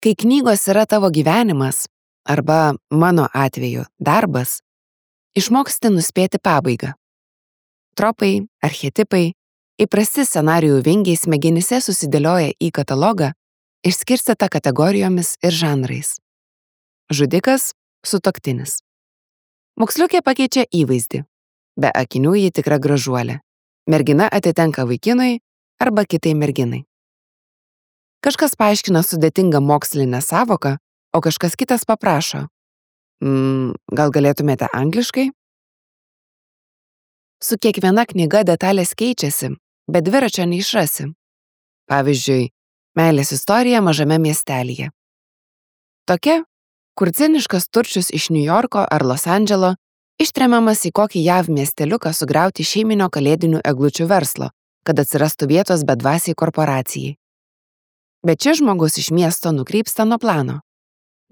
Kai knygos yra tavo gyvenimas, arba mano atveju darbas, išmoksti nuspėti pabaigą. Tropai, archetipai, įprasti scenarijų vingiai smegenyse susidėlioja į katalogą, išskirstytą kategorijomis ir žanrais. Žudikas – sutuoktinis. Moksliukė pakeičia įvaizdį. Be akinių ji tikra gražuolė. Mergina atitenka vaikinui arba kitai merginai. Kažkas paaiškina sudėtingą mokslinę sąvoką, o kažkas kitas paprašo. Gal galėtumėte angliškai? Su kiekviena knyga detalės keičiasi, bet dviračio neišrasi. Pavyzdžiui, meilės istorija mažame miestelyje. Tokia, kur ciniškas turčius iš Niujorko ar Los Andželo ištremiamas į kokį JAV miesteliuką sugriauti šeiminio kalėdinių eglučių verslo, kad atsirastų vietos bedvasiai korporacijai. Bet šis žmogus iš miesto nukrypsta nuo plano,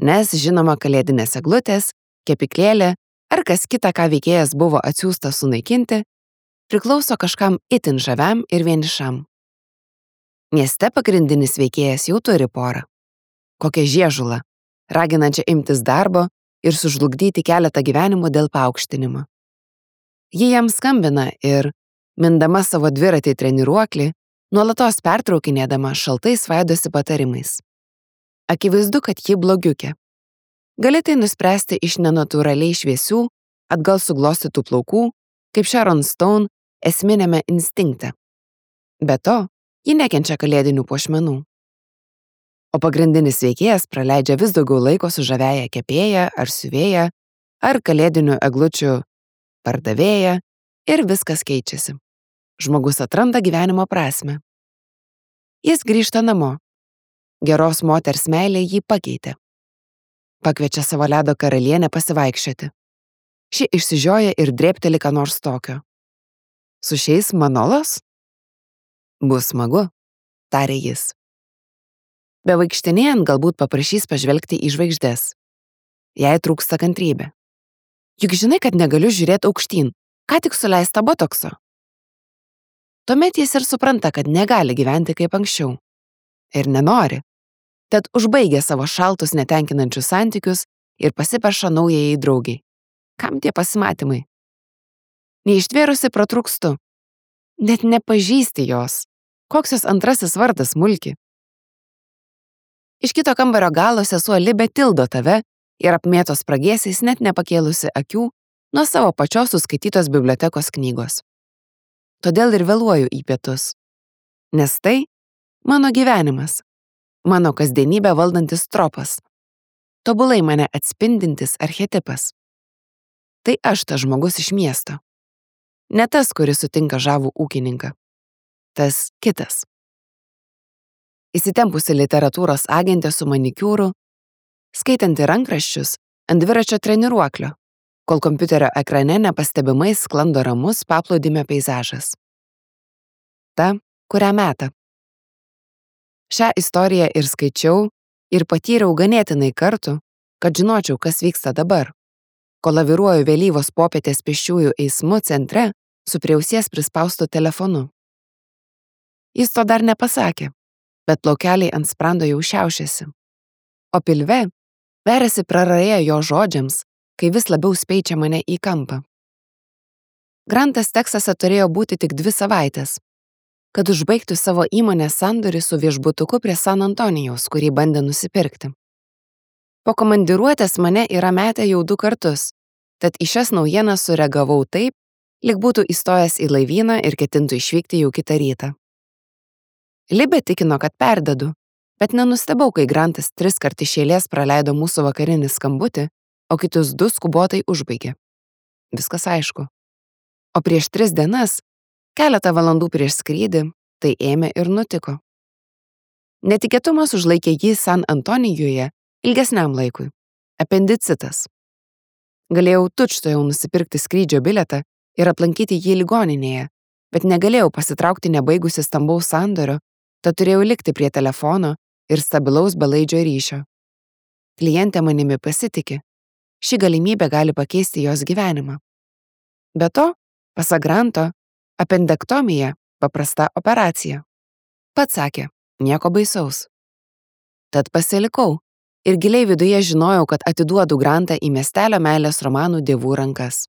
nes žinoma kalėdinės eglutės, kepyklėlė ar kas kita, ką veikėjas buvo atsiųstas sunaikinti, priklauso kažkam itin žaviam ir vienišam. Mieste pagrindinis veikėjas jau turi porą. Kokią žiežulą, raginančią imtis darbo ir sužlugdyti keletą gyvenimų dėl paaukštinimo. Ji jam skambina ir, mindama savo dviratį treniruoklį, nuolatos pertraukinėdama šaltai svaidosi patarimais. Akivaizdu, kad ji blogiukė. Gali tai nuspręsti iš nenatūraliai šviesių, atgal suglostytų plaukų, kaip Sharon Stone esminėme instinkte. Be to, ji nekenčia kalėdinių puošmenų. O pagrindinis veikėjas praleidžia vis daugiau laiko su žaviaja kepėja ar siuvėja, ar kalėdinių eglučių pardavėja ir viskas keičiasi. Žmogus atranda gyvenimo prasmę. Jis grįžta namo. Geros moters meilė jį pakeitė. Pakviečia savo ledo karalienę pasivaikščioti. Ši išsižioja ir drėbteli ką nors tokio. Su šiais Manolos? Bus smagu, tarė jis. Bevaikštinėjant galbūt paprašys pažvelgti į žvaigždes. Jai trūksta kantrybė. Juk žinai, kad negaliu žiūrėti aukštyn, ką tik suleista botokso. Tuomet jis ir supranta, kad negali gyventi kaip anksčiau. Ir nenori. Tad užbaigia savo šaltus netenkinančius santykius ir pasipeša naujajai draugiai. Kam tie pasimatymai? Neištvėrusi pratrūkstu. Net nepažįsti jos. Koks jos antrasis vardas Mulki? Iš kito kambario galo sesuo Libė tildo tave ir apmėto spragėsiais net nepakėlusi akių nuo savo pačios suskaitytos bibliotekos knygos. Todėl ir vėluoju į pietus. Nes tai mano gyvenimas, mano kasdienybę valdantis tropas, tobulai mane atspindintis archetipas. Tai aš tas žmogus iš miesto. Ne tas, kuris sutinka žavų ūkininką. Tas kitas. Įsitempusi literatūros agentė su manikiūru, skaitanti rankraščius ant dviračio treniruoklio, kol kompiuterio ekrane nepastebimai sklando ramus paplūdimio peizažas. Ta, kurią meta. Šią istoriją ir skaičiau, ir patyriau ganėtinai kartų, kad žinočiau, kas vyksta dabar, kol laviruoju vėlyvos popietės pėsčiųjų eismu centre su prie ausies prispaustu telefonu. Jis to dar nepasakė, bet plaukeliai ant sprando jau šiaušiasi. O pilve veriasi praraja jo žodžiams, kai vis labiau speičia mane į kampą. Grantas Teksase turėjo būti tik 2 savaitės, kad užbaigtų savo įmonės sandorį su viešbutuku prie San Antonijaus, kurį bandė nusipirkti. Po komandiruotės mane yra metę jau 2 kartus, tad į šias naujienas sureagavau taip, lyg būtų įstojęs į laivyną ir ketintų išvykti jau kitą rytą. Libė tikino, kad perdedu, bet nenustebau, kai Grantas 3 kart iš eilės praleido mūsų vakarinį skambutį, o kitus 2 skubotai užbaigė. Viskas aišku. O prieš 3 dienas, keletą valandų prieš skrydį, tai ėmė ir nutiko. Netikėtumas užlaikė jį San Antonijuje ilgesniam laikui. Apendicitas. Galėjau tučtuojau nusipirkti skrydžio bilietą ir aplankyti jį ligoninėje, bet negalėjau pasitraukti nebaigusi stambaus sandorio, tad turėjau likti prie telefono ir stabilaus belaidžio ryšio. Klientė manimi pasitiki. Ši galimybė gali pakeisti jos gyvenimą. Be to, pasak Granto, apendektomija paprasta operacija. Pats sakė, nieko baisaus. Tad pasilikau ir giliai viduje žinojau, kad atiduodu Grantą į miestelio meilės romanų dievų rankas.